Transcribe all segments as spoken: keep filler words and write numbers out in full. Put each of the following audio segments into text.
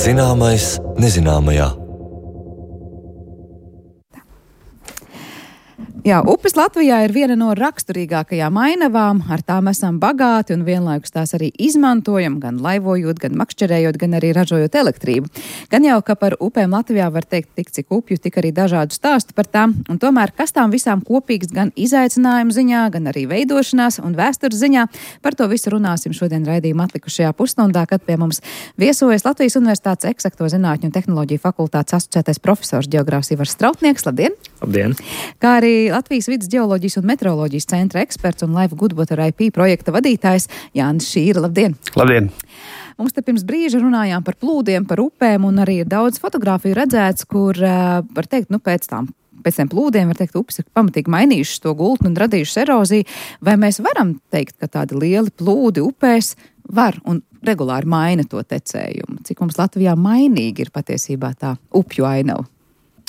Zināmais nezināmajā. Jā, upes Latvijā ir viena no raksturīgākajām ainavām, ar tām esam bagāti un vienlaikus tās arī izmantojam, gan laivojot, gan makšķerējot, gan arī ražojot elektrību. Gan jau, ka par upēm Latvijā var teikt tik cik upju, tik arī dažādu stāstu par tām, un tomēr kas tām visām kopīgs gan izaicinājumu ziņā, gan arī veidošanās un vēstures ziņā, par to visu runāsim šodien raidījuma atlikušajā pusstundā, kad pie mums viesojas Latvijas Universitātes Eksakto zinātņu un tehnoloģiju fakultātes asociētais profesors ģeogrāfs Ivars Strautnieks. Labdien! Labdien! Kā arī Latvijas vidas ģeoloģijas un meteoroloģijas centra eksperts un Life Good Water I P projekta vadītājs Jānis Šīra. Labdien! Labdien! Mums te pirms brīža runājām par plūdiem, par upēm, un arī ir daudz fotogrāfiju redzēts, kur, var teikt, nu pēc tām, pēc tiem plūdiem, var teikt, upes ir pamatīgi mainījušas to gultni un radījušas eroziju. Vai mēs varam teikt, ka tādi lieli plūdi upēs var un regulāri maina to tecējumu? Cik mums Latvijā mainīgi ir patiesībā tā upju ainava?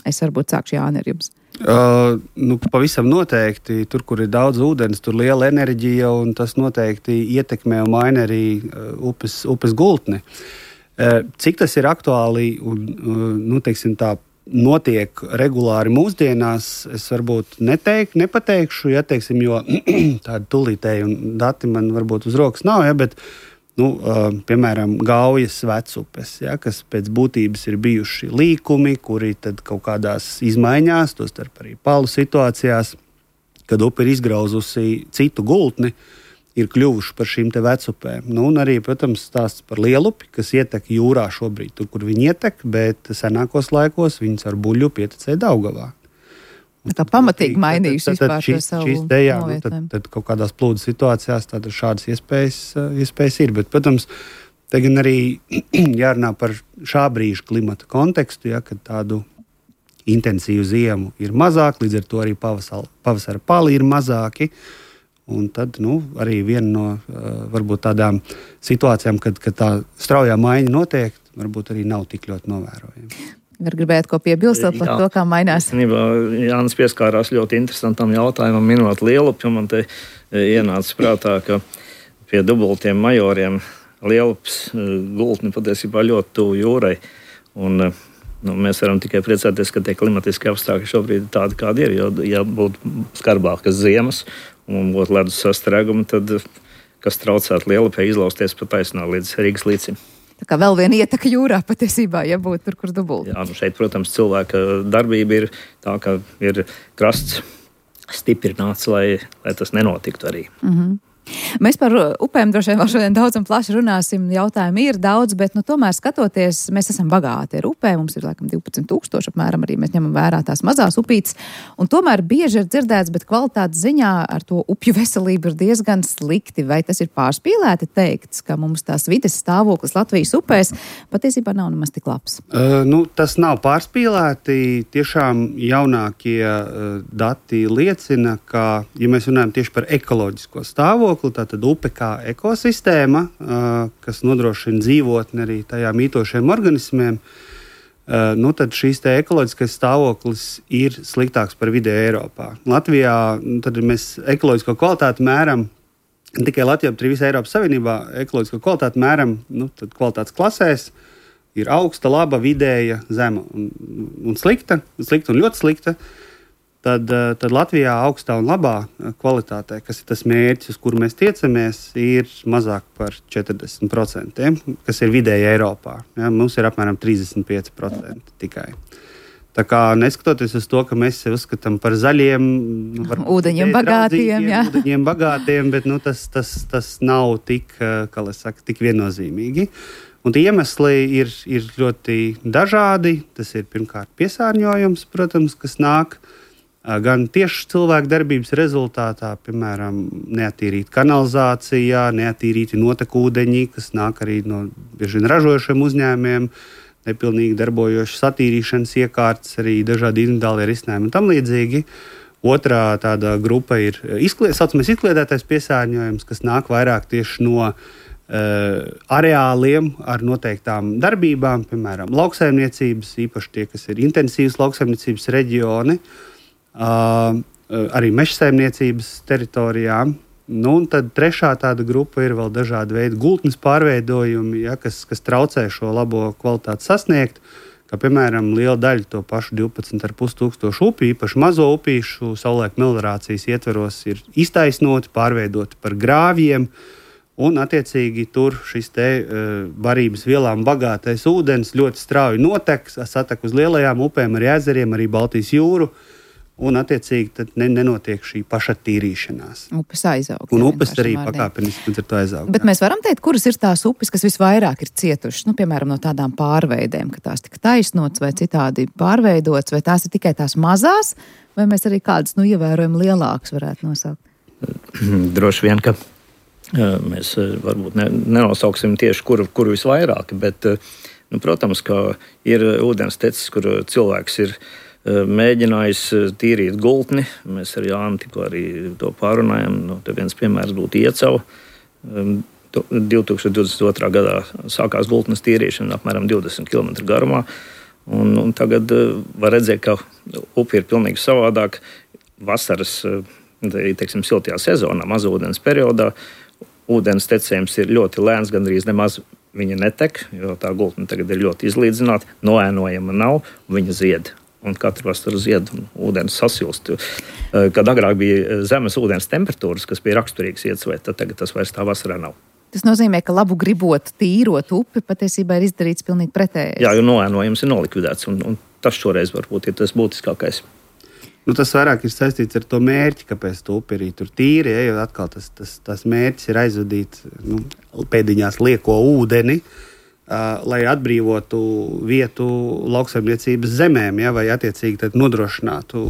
Es varbūt sākšu, Jāni, ar jums. Uh, nu, pavisam noteikti. Tur, kur ir daudz ūdens, tur liela enerģija, un tas noteikti ietekmē un maina arī uh, upes, upes gultni. Uh, cik tas ir aktuāli un, uh, nu, teiksim tā, notiek regulāri mūsdienās, es varbūt neteiktu, nepateikšu, ja, teiksim, jo tādi tūlītēji un dati man varbūt uz rokas nav, ja, bet Nu, uh, piemēram, Gaujas vecupes, ja, kas pēc būtības ir bijuši līkumi, kuri tad kaut kādās izmaiņās, tostarp arī palu situācijās, kad upe ir izgrauzusi citu gultni, ir kļuvuši par šīm te vecupēm. Nu, un arī, protams, stāsts par Lielupi, kas ietek jūrā šobrīd, tur, kur viņi ietek, bet senākos laikos viņas ar buļļu pietecēja Daugavā. Tā pamatīgi mainījuši vispār šis, to savu šis te, jā, nu, tad, novietojumu. tad kaut kādās plūdu situācijās tādas šādas iespējas, iespējas ir. Bet, protams, te gan arī jārunā par šā brīža klimata kontekstu, ja, kad tādu intensīvu ziemu ir mazāk, līdz ar to arī pavasara, pavasara pali ir mazāki. Un tad nu, arī viena no varbūt tādām situācijām, kad, kad tā straujā maiņa notiek, varbūt arī nav tik ļoti novērojama. Var gribēt ko piebilstot par to, kā mainās? Īstenībā Jānis pieskārās ļoti interesantam jautājumam, minot Lielupi, un man te ienāca prātā, ka pie dubultiem majoriem Lielupas gultni patiesībā ļoti tuvu jūrai. Un, nu, mēs varam tikai priecāties, ka tie klimatiski apstākļi šobrīd ir tādi, kādi ir. Jo, ja būtu skarbākas ziemas un būtu ledus sastrēgumi, tad kas traucētu Lielupai izlausties pa taisnā līdz Rīgas līcim. Tā kā vēl viena ieteka jūrā patiesībā, ja būtu tur, kur dubulti. Jā, nu šeit, protams, cilvēka darbība ir tā, ka ir krasts stiprināts, lai, lai tas nenotiktu arī. Mhm. Mēs par upēm droši vien vēl šodien daudz un plaši runāsim. Jautājumi ir daudz, bet nu, tomēr skatoties, mēs esam bagāti ar upēm. Mums ir laikam divpadsmit tūkstoši apmēram, arī mēs ņemam vērā tās mazās upītes. Un tomēr bieži ir dzirdēts, bet kvalitātes ziņā ar to upju veselību ir diezgan slikti. Vai tas ir pārspīlēti teikts, ka mums tās vides stāvoklis Latvijas upēs patiesībā nav nemaz tik labs? Uh, nu, tas nav pārspīlēti. Tiešām jaunākie uh, dati liecina, ka, ja mēs runājam tieši par ekoloģisko stāvokli, tātad upe kā ekosistēma, kas nodrošina dzīvotni arī tajā mītošiem organismiem, nu tad šīs te ekoloģiskais stāvoklis ir sliktāks par vidēju Eiropā. Latvijā tad mēs ekoloģisko kvalitāti mēram, ne tikai Latvijā, bet arī visā Eiropas Savienībā ekoloģisko kvalitāti mēram nu, tad kvalitātes klasēs. Ir augsta, laba, vidēja, zema un, un slikta, slikta un ļoti slikta. Tad, tad Latvijā augstā un labā kvalitātē, kas ir tas mērķis, uz kuru mēs tiecamies, ir mazāk par četrdesmit procenti, kas ir vidēji Eiropā. Ja, mums ir apmēram trīsdesmit pieci procenti tikai. Tā kā neskatoties uz to, ka mēs sevi uzskatām par zaļiem, ūdeņiem bagātiem, jā. ūdeņiem bagātiem, bet nu, tas, tas, tas nav tik, kā lai saka, tik viennozīmīgi. Un tie iemesli ir, ir ļoti dažādi. Tas ir pirmkārt piesārņojums, protams, kas nāk gan tieši cilvēku darbības rezultātā, piemēram, neattīrīta kanalizācija, neattīrīti notekūdeņi, kas nāk arī no bieži vien ražojošiem uzņēmumiem, nepilnīgi darbojošas attīrīšanas iekārtas, arī dažādi individuālie risinājumi un tam līdzīgi. Otrā tāda grupa ir izklied, saucamais izkliedētais piesārņojums, kas nāk vairāk tieši no uh, areāliem ar noteiktām darbībām, piemēram, lauksaimniecības, īpaši tie, kas ir intensīvas lauksaimniecības reģioni, Uh, arī mežsaimniecības teritorijām, Nu, un tad trešā tāda grupa ir vēl dažādi veidi gultnes pārveidojumi, ja, kas, kas traucē šo labo kvalitāti sasniegt. Kā piemēram, liela daļa to pašu divpadsmit ar pus tūkstošu upju, īpaši mazo upīšu, savulaik meliorācijas ietveros ir iztaisnoti, pārveidoti par grāvjiem. Un, attiecīgi, tur šis te uh, barības vielām bagātais ūdens ļoti strauji notek, satek uz lielajām upēm, arī ezeriem, arī Baltijas jūru. Un, attiecīgi, tad ne, nenotiek šī pašattīrīšanās. Upes aizaug. Un upes arī pakāpeniski ar to aizaug. Bet mēs varam teikt, kuras ir tās upes, kas visvairāk ir cietušas, nu, piemēram, no tādām pārveidēm, ka tās tika taisnotas vai citādi pārveidotas, vai tās ir tikai tās mazās, vai mēs arī kādas, nu, ievērojami lielākas varētu nosaukt? Droši vien, ka mēs varbūt ne, nenosauksim tieši, kuru, kuru visvairāk, bet, nu, protams, ka ir ūdens tecis, kur cilvēks ir mēģinājis tīrīt gultni. Mēs ar Jānu tikko arī to pārunājam. Nu, te viens piemērs būtu Iecava. divi tūkstoši divdesmit otrā gadā sākās gultnes tīrīšana apmēram divdesmit kilometru garumā. Un, un tagad var redzēt, ka upe ir pilnīgi savādāk. Vasaras, teiksim, siltajā sezonā, mazūdens periodā, ūdens tecējums ir ļoti lēns, gandrīz nemaz viņa netek, jo tā gultne tagad ir ļoti izlīdzināta, noēnojama nav, viņa zied. Un katru vasaru zied un ūdens sasilst. Kad agrāk bija zemes ūdens temperatūras, kas bija raksturīgas Iecavai, tad tagad tas vairs tā vasarā nav. Tas nozīmē, ka labu gribot tīrot upi, patiesībā ir izdarīts pilnīgi pretējais. Jā, jo noēnojums ir nolikvidēts, un, un tas šoreiz varbūt ir tas būtiskākais. Nu, tas vairāk ir saistīts ar to mērķi, kāpēc tu upi arī tur tīri, ja, jo atkal tas, tas, tas mērķis ir aizvadīt, nu, pēdiņās lieko ūdeni, uh, lai atbrīvotu vietu lauksaimniecības zemēm, ja, vai attiecīgi tad nodrošinātu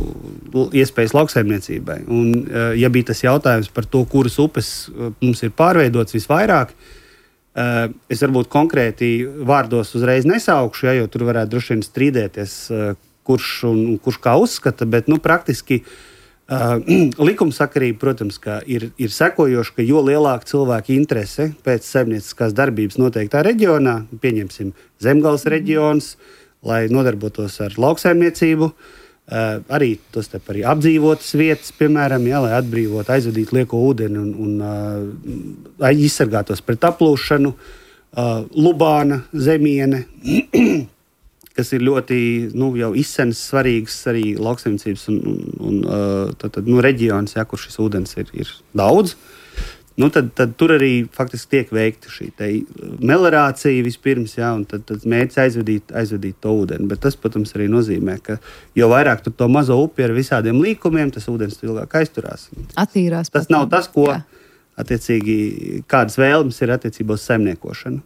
iespējas lauksaimniecībai. Un, uh, ja bija tas jautājums par to, kuras upes uh, mums ir pārveidots visvairāk, uh, es varbūt konkrēti vārdos uzreiz nesaukšu, ja, jo tur varētu droši vien strīdēties, uh, kurš un kurš kā uzskata, bet nu, praktiski uh, likumsakarība, protams, ir, ir sekojoša, ka jo lielāka cilvēka interese pēc saimnieciskās darbības noteiktā reģionā, pieņemsim Zemgales reģions, lai nodarbotos ar lauksaimniecību, uh, arī tos te arī apdzīvotas vietas, piemēram, ja, lai atbrīvot, aizvadīt lieko ūdeni un, un uh, izsargātos pret aplūšanu, uh, Lubāna, Zemiene, kas ir ļoti nu, jau izsenas svarīgs arī lauksaimniecības un, un, un tad, tad, nu, reģions, ja, kur šis ūdens ir, ir daudz. Nu, tad, tad tur arī faktiski tiek veikta šī meliorācija vispirms, ja, un tad, tad mērķis aizvadīt, aizvadīt to ūdeni. Bet tas, protams, arī nozīmē, ka jo vairāk tur to mazo upi ar visādiem līkumiem, tas ūdens ilgāk aizturās. Attīrās. Tas nav tas, ko... Jā. Attiecīgi, kādas vēlmes ir attiecībā uz saimniekošanu.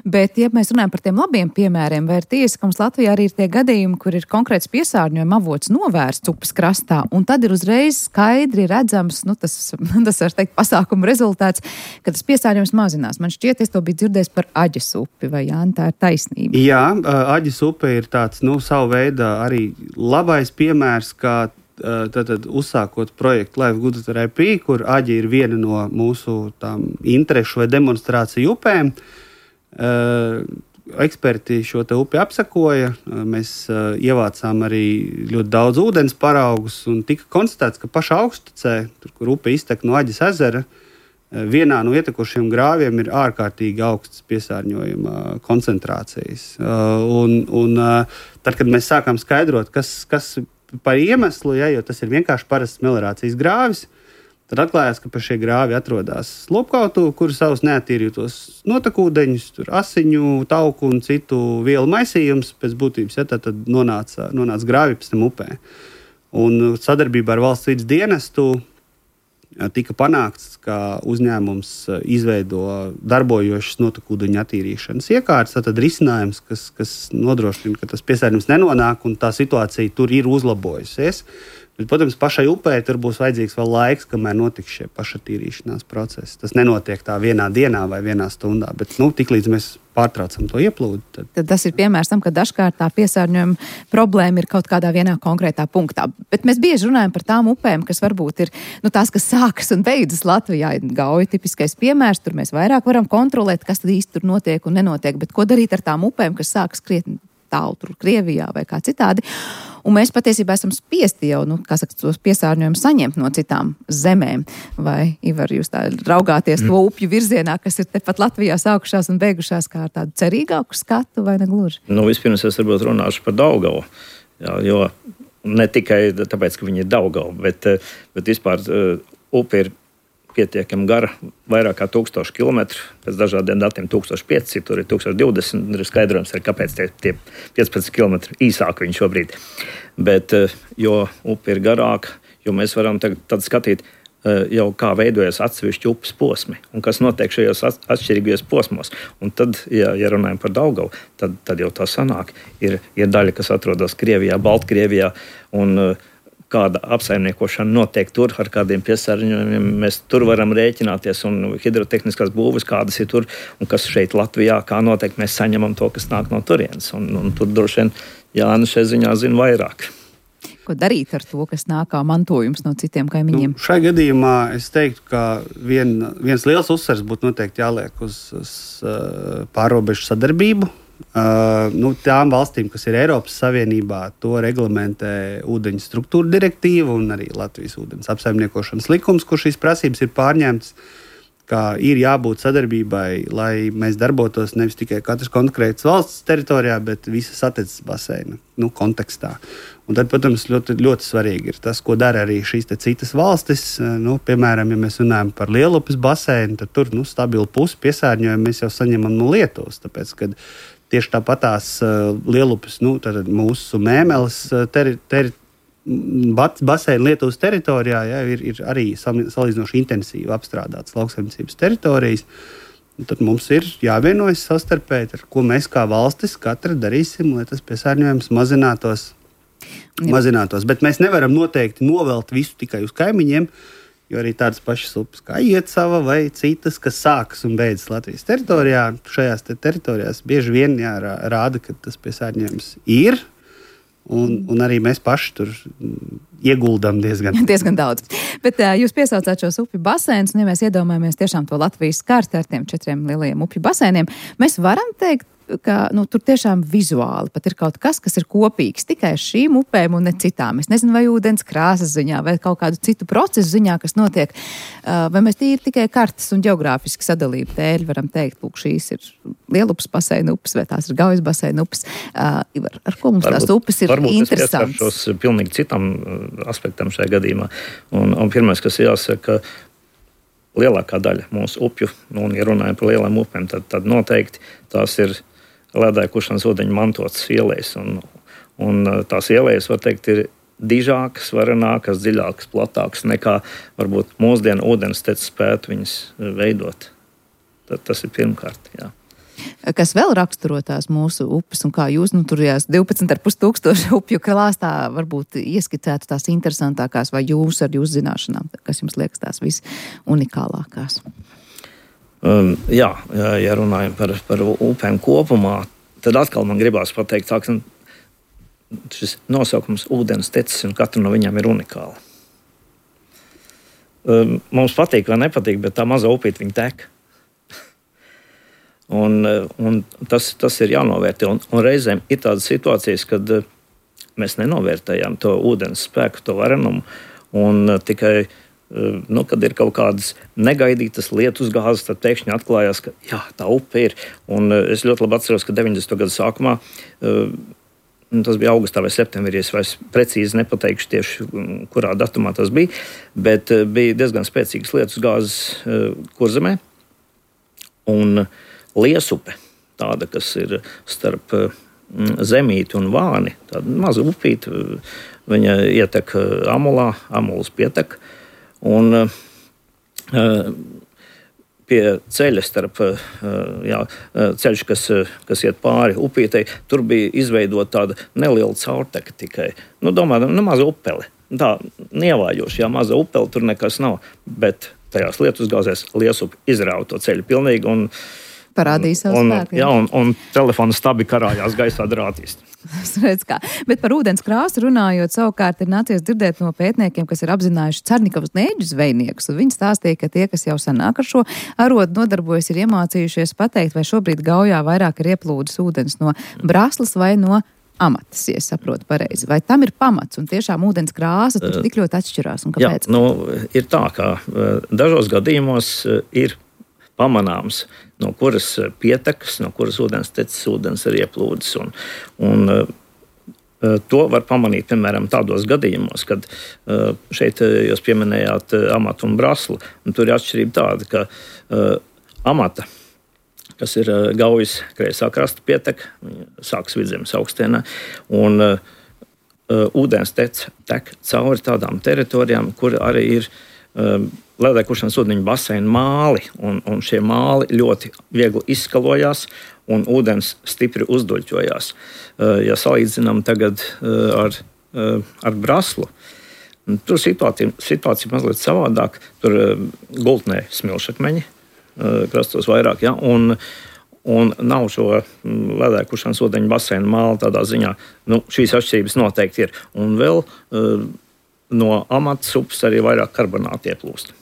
Bet, ja mēs runājam par tiem labiem piemēriem, vai ir tiesa, ka mums Latvijā arī ir tie gadījumi, kur ir konkrēts piesārņojuma avots novērsts upes krastā, un tad ir uzreiz skaidri redzams, nu, tas, tas var teikt, pasākuma rezultāts, ka tas piesārņojums mazinās. Man šķiet, es to biju dzirdējis par Aģes upi, vai Jāni, tā ir taisnība? Jā, Aģes upe ir tāds, nu, savu veidā arī labais piemērs, kā Tātad, uzsākot projektu Life Good R I P, kur Aģe ir viena no mūsu tām interešu vai demonstrāciju upēm. Uh, eksperti šo te upi apsakoja, uh, mēs uh, ievācām arī ļoti daudz ūdens paraugus un tika konstatēts, ka pašā augstecē, tur, kur upe iztek no Aģes ezera, uh, vienā no ietekošiem grāviem ir ārkārtīgi augsts piesārņojuma koncentrācijas. Uh, un, un uh, tad, kad mēs sākām skaidrot, kas, kas par iemeslu, ja, jo tas ir vienkārši parasts meliorācijas grāvis, tad atklājās, ka pa šie grāvi atrodas lopkautuve, kur savus neattīrītos notekūdeņus, tur asiņu, tauku un citu vielu maisījums pēc būtības, ja, tad, tad nonāca, nonāca grāvi pēc tam upē. Un sadarbībā ar valsts vides dienestu tika panākts, ka uzņēmums izveido darbojošas notekūdeņu attīrīšanas iekārtas, tad risinājums, kas, kas nodrošina, ka tas piesārņojums nenonāk un tā situācija tur ir uzlabojusies. Bet, protams, pašai upē tur būs vajadzīgs vēl laiks, kamēr notiks šie pašattīrīšanās procesi. Tas nenotiek tā vienā dienā vai vienā stundā, bet nu, tiklīdz mēs pārtraucam to ieplūdu. Tad... tad tas ir piemērs tam, ka dažkārt tā piesārņojuma problēma ir kaut kādā vienā konkrētā punktā. Bet mēs bieži runājam par tām upēm, kas varbūt ir nu, tās, kas sākas un beidzas Latvijā. Gauja tipiskais piemērs, tur mēs vairāk varam kontrolēt, kas tad īsti tur notiek un nenotiek. Bet ko darīt ar tām upēm, kas sākas krietni tālu tur Krievijā vai kā citādi? un mēs patiesībā esam spiesti jau, nu, kā saka, tos piesārņojumus saņemt no citām zemēm. Vai, Ivar, jūs tā raugāties mm. to upju virzienā, kas ir tepat Latvijā sākušās un beigušās kā ar tādu cerīgāku skatu, vai ne gluži? Nu, vispirms es varbūt runāšu par Daugavu, jā, jo ne tikai tāpēc, ka viņi ir Daugava, bet, bet vispār uh, upe ir pietiekami gara, vairāk kā tūkstoši kilometru, pēc dažādiem datiem tūkstoš pieci, tur ir tūkstoš divdesmit, ir skaidrojums, ir, kāpēc tie, tie piecpadsmit kilometri īsāk viņi šobrīd. Bet, jo upe ir garāka, jo mēs varam tagad tad skatīt jau kā veidojas atsevišķi upes posmi un kas notiek šajos atšķirīgajos posmos. Un tad, ja, ja runājam par Daugavu, tad, tad jau tā sanāk. Ir, ir daļa, kas atrodas Krievijā, Baltkrievijā un kāda apsaimniekošana notiek tur, ar kādiem piesārņojumiem mēs tur varam rēķināties, un hidrotehniskās būves kādas ir tur, un kas šeit Latvijā, kā notiek, mēs saņemam to, kas nāk no turienes. Un, un tur droši vien Jānis šai ziņā zina vairāk. Ko darīt ar to, kas nāk kā mantojums no citiem kaimiņiem? Nu, šai gadījumā es teiktu, ka vien, viens liels uzsvars būtu noteikti jāliek uz, uz uh, pārrobežu sadarbību. Uh, nu, tām valstīm, kas ir Eiropas Savienībā, to reglamentē ūdeņu struktūra direktīva un arī Latvijas ūdens apsaimniekošanas likums, kur šīs prasības ir pārņemtas, ka ir jābūt sadarbībai, lai mēs darbotos nevis tikai katras konkrētas valsts teritorijā, bet visas attecas baseina nu, kontekstā. Un tad, protams, ļoti, ļoti svarīgi ir tas, ko dara arī šīs te citas valstis. Nu, piemēram, ja mēs runājam par Lielupes baseinu, tad tur nu, stabilu pusi piesārņojumu mēs jau saņemam no Lietuvas, tāpēc, kad tieši tāpatās uh, Lielupes, nu, tad mūsu Mēmeles teri, teri, baseina Lietuvas teritorijā ja, ir, ir arī salīdzinoši intensīvi apstrādātas lauksaimniecības teritorijas. Un tad mums ir jāvienojas savstarpēji, ar ko mēs kā valstis katra darīsim, lai tas piesārņojums mazinātos. mazinātos. Bet mēs nevaram noteikti novelt visu tikai uz kaimiņiem, jo arī tādas pašas upes kā Iecava vai citas, kas sākas un beidzas Latvijas teritorijā, šajās te teritorijās bieži vien jā, rāda, ka tas piesārņojums ir, un, un arī mēs paši tur ieguldam diezgan. diezgan daudz. Bet uh, jūs piesaucāt šos upju basēnus, un ja mēs iedomājamies tiešām to Latvijas karti ar tiem četriem lielajiem upju basēniem, mēs varam teikt, ka nu, tur tiešām vizuāli pat ir kaut kas, kas ir kopīgs tikai šīm upēm un ne citām. Es nezinu, vai ūdens krāsas ziņā, vai kaut kādu citu procesu ziņā, kas notiek, vai mēs tīri tikai kartas un geogrāfiski sadalību dēļ varam teikt, lūk, šīs ir Lielupes baseina upes, vai tās ir Gaujas baseina upes. Ar, ar ko mums varbūt, tās upes ir varbūt interesants? Varbūt es pieskaršos pilnīgi citam aspektam šajā gadījumā. Un, un pirmais, kas jāsaka, lielākā daļa mūsu upju, un ja runājam par lielām upēm, tad, tad noteikti tās ir ledājušās ūdeņu mantotas ielejas. Un, un tās ielejas, var teikt, ir dižākas, varenākas, dziļākas, platākas nekā varbūt mūsdienu ūdensteci spētu viņas veidot. Tad tas ir pirmkārt, jā. Kas vēl raksturo tās mūsu upes un kā jūs, nu, tur jās divpadsmit ar pus tūkstoši upju klāstā varbūt ieskicētu tās interesantākās vai jūs ar jūsu zināšanām, kas jums liekas tās visunikālākās? Um, jā, ja runājam par, par upēm kopumā, tad atkal man gribās pateikt, tā, šis nosaukums ūdens tecis un katra no viņām ir unikāla. Um, mums patīk vai nepatīk, bet tā maza upīte viņa tek. un un tas, tas ir jānovērtē. Un, un reizēm ir tādas situācijas, kad mēs nenovērtējam to ūdens spēku, to varenumu, un uh, tikai Nu, kad ir kaut kādas negaidītas lietus gāzes, tad pēkšņi atklājās, ka jā, tā upe ir. Un es ļoti labi atceros, ka deviņdesmito gadu sākumā, tas bija augustā vai septembrī, es vairs precīzi nepateikšu tieši, kurā datumā tas bija, bet bija diezgan spēcīgas lietus gāzes Kurzemē. Un Liesupe, tāda, kas ir starp Zemīti un Vāni, tāda maza upīte, viņa ietek Amulā, Amulas pietek. Un uh, pie ceļa starp uh, jā, ceļš, kas, kas iet pāri upītei, tur bija izveidota tāda neliela caurteka tikai. Nu, domājam, nu, maza upele. Tā nievājoša, jā, maza upele, tur nekas nav. Bet tajās lietusgāzēs Liesupe izrāva to ceļu pilnīgi un parādīja savu spēku. Jā, un, un telefona stabi karājās gaisā drātīs. Bet par ūdens krāsu runājot, savukārt ir nācies dzirdēt no pētniekiem, kas ir apzinājuši Cernikavas nēģu zvejniekus. Viņi stāstīja, ka tie, kas jau senāk ar šo arodu nodarbojas, ir iemācījušies pateikt, vai šobrīd Gaujā vairāk ir ieplūdis ūdens no Braslas vai no amatas, ja saprotu pareizi. Vai tam ir pamats un tiešām ūdens krāsa tur tik ļoti atšķirās un kāpēc? Jā, nu, ir tā, ka dažos gadījumos ir pamanāms, no kuras pietekas, no kuras ūdens tecis, ūdens ir ieplūdis. Un, un to var pamanīt, piemēram, tādos gadījumos, kad šeit jūs pieminējāt amatu un braslu. Un tur ir atšķirība tāda, ka uh, amata, kas ir uh, Gaujas kreisā krasta pieteka, sākas Vidzemes augstienā, un uh, uh, ūdens tec, tek cauri tādām teritorijām, kur arī ir uh, ledēkušanas ūdeņu baseinu māli, un, un šie māli ļoti viegli izskalojās, un ūdens stipri uzduļķojās. Ja salīdzinām tagad ar, ar braslu, tur situācija, situācija mazliet savādāk. Tur gultnē smilšakmeņi, krastos vairāk, ja, un, un nav šo ledēkušanas ūdeņu baseinu māli tādā ziņā. Nu, šīs atšķirības noteikti ir. Un vēl no amatas upes arī vairāk karbonāti ieplūst,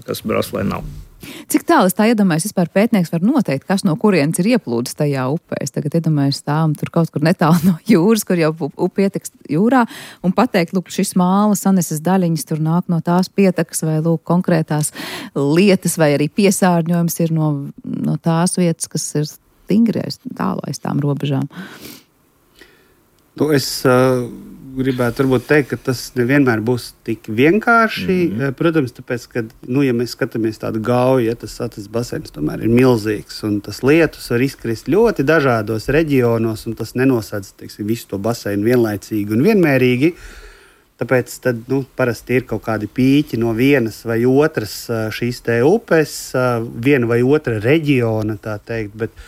kas braslē nav. Cik tālu es tā iedomājos, vispār pētnieks var noteikt, kas no kurienes ir ieplūdis tajā upē? Es tagad iedomājos stāvam tur kaut kur netālu no jūras, kur jau upe ietekst jūrā, un pateikt, lūk, šis māla saneses daļiņas tur nāk no tās pietekas, vai lūk, konkrētās lietas, vai arī piesārņojums ir no, no tās vietas, kas ir stingrais, tālu aiz tām robežām. Nu, es uh, gribētu varbūt teikt, ka tas nevienmēr būs tik vienkārši. Mm-hmm. Protams, tāpēc, ka, nu, ja mēs skatāmies tādu Gauju, ja tas Satas baseins tomēr ir milzīgs, un tas lietus var izkrist ļoti dažādos reģionos, un tas nenosadz, teiksim, visu to baseinu vienlaicīgi un vienmērīgi. Tāpēc tad, nu, parasti ir kaut kādi pīķi no vienas vai otras šīs te upes, viena vai otra reģiona, tā teikt, bet,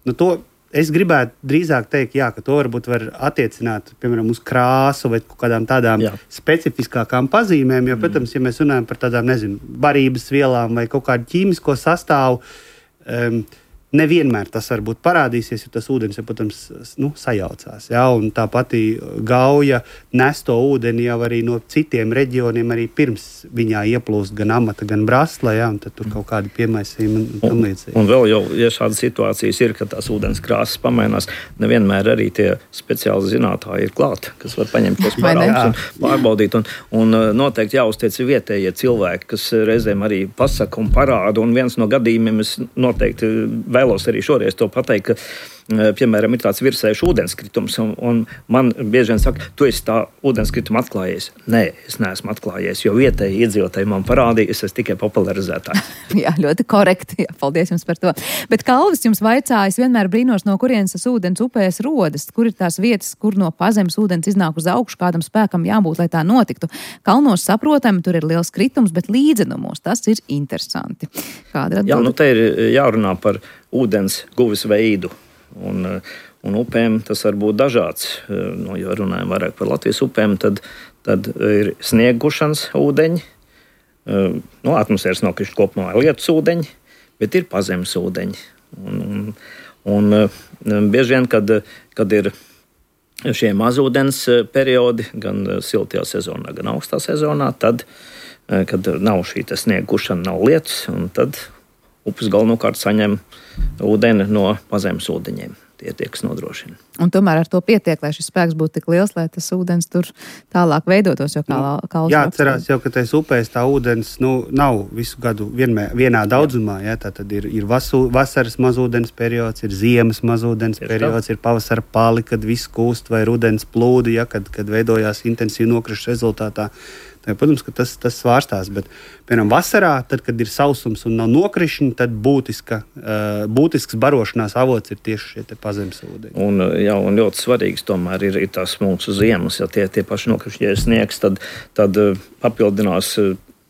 nu, to es gribētu drīzāk teikt, jā, ka to varbūt var attiecināt, piemēram, uz krāsu vai kādām tādām jā. specifiskākām pazīmēm, jo, protams, ja mēs runājam par tādām, nezinu, barības vielām vai kaut kādu ķīmisko sastāvu, um, nevienmēr tas varbūt parādīsies, jo tas ūdens, ja, protams, nu, sajaucās. Ja? Un tā pati Gauja nes to ūdeni jau arī no citiem reģioniem, arī pirms viņā ieplūst gan amata, gan brasla, ja? Un tad tur kaut kādi piemaisījumi un tam līdzīgi. Un, un vēl jau, ja šādas situācijas ir, ka tās ūdens krāsas pamainās, nevienmēr arī tie speciāli zinātāji ir klāt, kas var paņemt tos parādus un pārbaudīt. Un, un noteikti jāuztiec vietējie cilvēki, kas reizēm arī pasaka un parāda. Un viens no gadījumiem es noteikti vēlos arī šoreiz to pateikt, ka, piemēram, ir tāds virsējuši ūdenskritums, un, un man bieži vien saka, tu esi tā ūdenskritumu atklājies. Nē, es neesmu atklājies, jo vietēji iedzīvotāji man parādīja, es esmu tikai popularizētājs. Jā, ļoti korekti, jā, paldies jums par to. Bet Kalvis jums vaicāja, es vienmēr brīnos, no kurienes tas ūdens upēs rodas, kur ir tās vietas, kur no pazemes ūdens iznāk uz augšu, kādam spēkam jābūt, lai tā notiktu. Kalnos saprotami, tur ir liels kritums, bet līdzenumos tas ir interesanti. Kāda ir Jā, nu te ir jārunā par ūdens guves veidu. Un, un upēm tas var būt dažāds. No, ja runājam vairāk par Latvijas upēm, tad, tad ir sniegušanas ūdeņi, no atmosfēras nokrišņi kopumā lietus ūdeņi, bet ir pazemes ūdeņi. Un, un, un bieži vien, kad, kad ir šie mazūdens periodi, gan siltajā sezonā, gan augstā sezonā, tad, kad nav šī sniegušana, nav lietus, un tad upes galvenokārt saņem ūdeni no pazemes ūdeņiem. Tie tie, kas nodrošina. Un tomēr ar to pietiek, lai šis spēks būtu tik liels, lai tas ūdens tur tālāk veidotos, jo kā Kalvis Jā, atcerās jau, ka tais upēs tā ūdens, nu, nav visu gadu vienmēr, vienā daudzumā. Ja? Tā tad ir, ir vasu, vasaras mazūdens periods, ir ziemas mazūdens ir periods, tā. Ir pavasara pali, kad viss kūst, vai rudens plūdi, ja? kad, kad veidojās intensīvi nokrišņu rezultātā. Tā, protams, ka tas, tas svārstās, bet, piemēram, vasarā, tad, kad ir sausums un nav nokrišņi, tad būtiska, uh, būtisks barošanās avots ir tieši šie te pazemes ūdeņi. Un, jā, un ļoti svarīgs tomēr ir, ir tās mūsu ziemas, ja tie, tie paši nokrišņi sniegs, tad, tad papildinās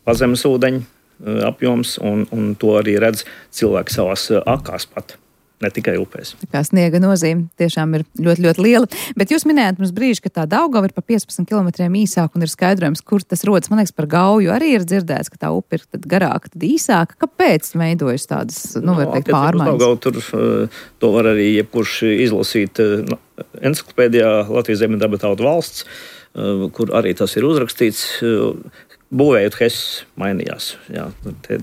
pazemes ūdeņu apjoms, un, un to arī redz cilvēki savās akās pat. Ne tikai upēs. Tā kā sniega nozīme tiešām ir ļoti, ļoti liela. Bet jūs minējāt mums brīži, ka tā Daugava ir pa piecpadsmit kilometriem īsāka un ir skaidrojums, kur tas rodas. Man liekas, par Gauju arī ir dzirdēts, ka tā upe ir tad garāka, tad īsāka. Kāpēc veidojas tādas, nu, var teikt, pārmaiņas? Daugava tur to var arī jebkurš izlasīt enciklopēdijā Latvijas Zemedaba tautu valsts, kur arī tas ir uzrakstīts. Būvējot Hess mainījās. Jā, te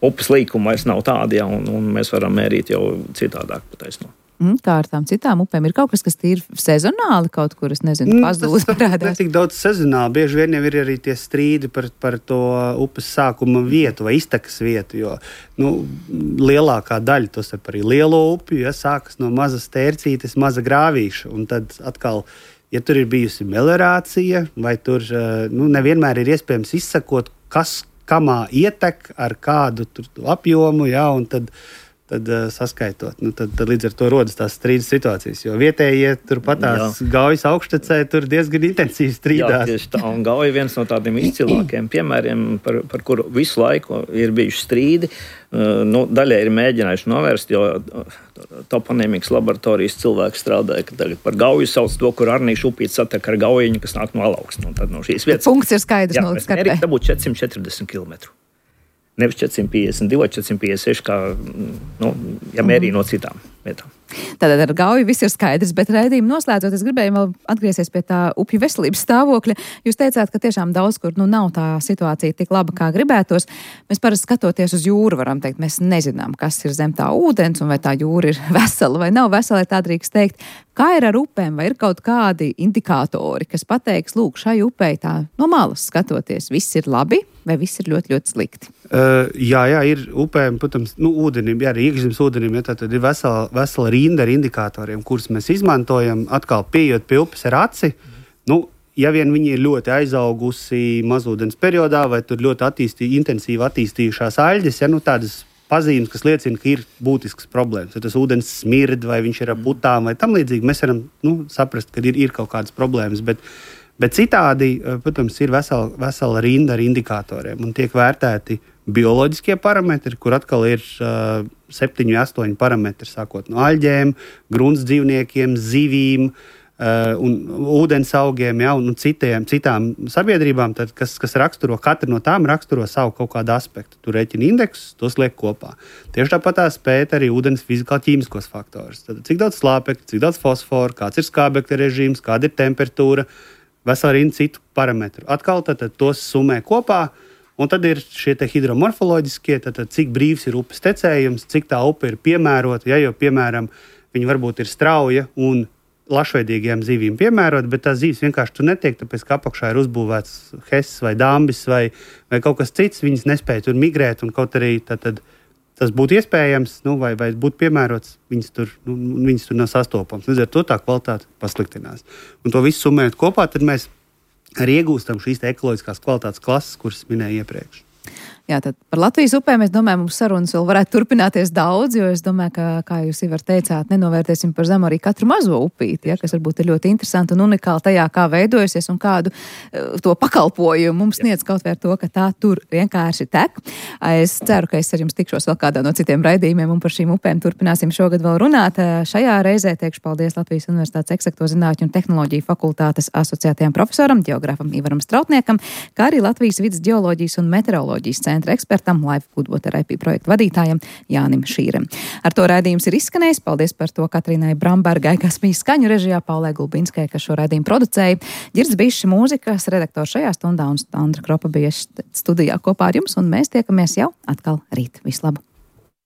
upes līkuma vairs nav tādi, ja, un, un mēs varam mērīt jau citādāk pataisno. Mm, kā ar tām citām upēm? Ir kaut kas, kas ir sezonāli kaut kur, es nezinu, pazūd parādās? Ne tik daudz sezonāli. Bieži vien jau ir arī tie strīdi par, par to upes sākuma vietu vai iztekas vietu, jo nu, lielākā daļa, tos ir arī lielo upju, ja, sākas no mazas tērcītes, maza grāvīša. Un tad atkal, ja tur ir bijusi meliorācija, vai tur nu, nevienmēr ir iespējams izsakot, kas kamā ietek ar kādu tur apjomu, ja, un tad tad uh, saskaitot. Nu, tad, tad līdz ar to rodas tās strīdas situācijas, jo vietējie turpat tās Gaujas augštecē tur diezgan intensīvi strīdās. Jā, tieši tā, un Gauja ir viens no tādiem izcilākiem piemēriem, par, par kuru visu laiku ir bijuši strīdi. Uh, nu, daļai ir mēģinājuši novērst, jo toponīmikas laboratorijas cilvēki strādāja, ka tagad par Gauju sauc to, kur Arnīša upīte satiek ar Gaujiņu, kas nāk no Alaugsta. Nu, tad no šīs vietas. Punkts ir skaidrs. Jā, mēs mērījām, tā būtu četri simt četrdesmit kilometri. Nevis četri simt piecdesmit divi, četri simt piecdesmit seši, kā, nu, ja mērī no citām vietām. Tātad ar Gauju viss ir skaidrs, bet raidījumu noslēdzot, es gribēju vēl atgriezties pie tā upju veselības stāvokļa. Jūs teicāt, ka tiešām daudz kur nu, nav tā situācija tik laba, kā gribētos. Mēs parasti skatoties uz jūru varam teikt, mēs nezinām, kas ir zem tā ūdens un vai tā jūra ir vesela vai nav vesela, tā drīkst teikt. Kā ir ar upēm, vai ir kaut kādi indikātori, kas pateiks, lūk, šai upei tā no malas skatoties, viss ir labi vai viss ir ļoti, ļoti slikti? Uh, jā, jā, ir upēm, protams, nu, ūdenim, jā, arī iekšzemes ūdenim, ja, tad ir vesela, vesela rinda ar indikatoriem, kurus mēs izmantojam, atkal pieejot pie upes ar aci. Nu, ja vien viņi ir ļoti aizaugusi mazūdens periodā, vai tur ļoti attīstī, intensīvi attīstījušās aļģes, ja, nu, tādas pazīmes, kas liecina, ka ir būtisks problēmas. Ja tas ūdens smird, vai viņš ir ar putām, vai tam līdzīgi, mēs varam nu, saprast, ka ir, ir kaut kādas problēmas. Bet, bet citādi, protams, ir vesela, vesela rinda ar indikatoriem un tiek vērtēti bioloģiskie parametri, kur atkal ir uh, septiņi, astoņi parametri, sākot no aļģēm, grunts dzīvniekiem, zivīm, Uh, un ūdens augiem, ja, un citiem, citām sabiedrībām, tad, kas, kas raksturo, katra no tām raksturo savu kaut kādu aspektu. Tur rēķina indeksus, tos liek kopā. Tieši tāpat tās pēta arī ūdens fizikāli-ķīmiskos faktorus. Tad, cik daudz slāpekļa, cik daudz fosforu, kāds ir skābekļa režīms, kāda ir temperatūra, vesela rinda citu parametru. Atkal tad, tad tos summē kopā, un tad ir šie te hidromorfoloģiskie, tad, tad cik brīvs ir upes tecējums, cik tā upe ir piemērota, ja, jo, piemēram, viņi varbūt ir strauja un lašveidīgajām zivīm piemērot, bet tās zivis vienkārši tur netiek, tāpēc, ka apakšā ir uzbūvēts hess vai dambis vai, vai kaut kas cits, viņas nespēja tur migrēt, un kaut arī tad, tad, tas būtu iespējams, nu, vai, vai būtu piemērots, viņas tur, nu, viņas tur nav sastopams. Līdz ar to tā kvalitāte pasliktinās. Un to visu summējot kopā, tad mēs arī iegūstam šīs te ekoloģiskās kvalitātes klases, kuras minēju iepriekš. Jā, tad par Latvijas upēm, es domāju, mums sarunas vēl varētu turpināties daudz, jo es domāju, ka, kā jūs Ivar teicāt, nenovērtēsim par zemu arī katru mazo upīti, ja, kas varbūt ir ļoti interesanti un unikāli tajā, kā veidojusies un kādu uh, to pakalpojumu mums sniedz kaut vai ar to, ka tā tur vienkārši tek. Es ceru, ka es ar jums tikšos vēl kādā no citiem raidījumiem un par šīm upēm turpināsim šogad vēl runāt. Šajā reizē teikšu paldies Latvijas Universitātes Eksaktūru zinātņu un tehnoloģiju fakultātes asociētajam profesoram, ģeogrāfam Ivaram Strautniekam, kā arī Latvijas vidas ģeoloģijas un meteoroloģijas centra ekspertam, Life Good Water I P projektu vadītājam Jānim Šīrem. Ar to raidījums ir izskanējis. Paldies par to Katrīnai Brambergai, kas bija skaņu režijā, Paulai Gulbinskai, kas šo raidījumu producēja. Ģirds Bišs mūzikas redaktors šajā stundā un Andra Kropa bija studijā kopā ar jums, un mēs tiekamies jau atkal rīt. Vislabāk!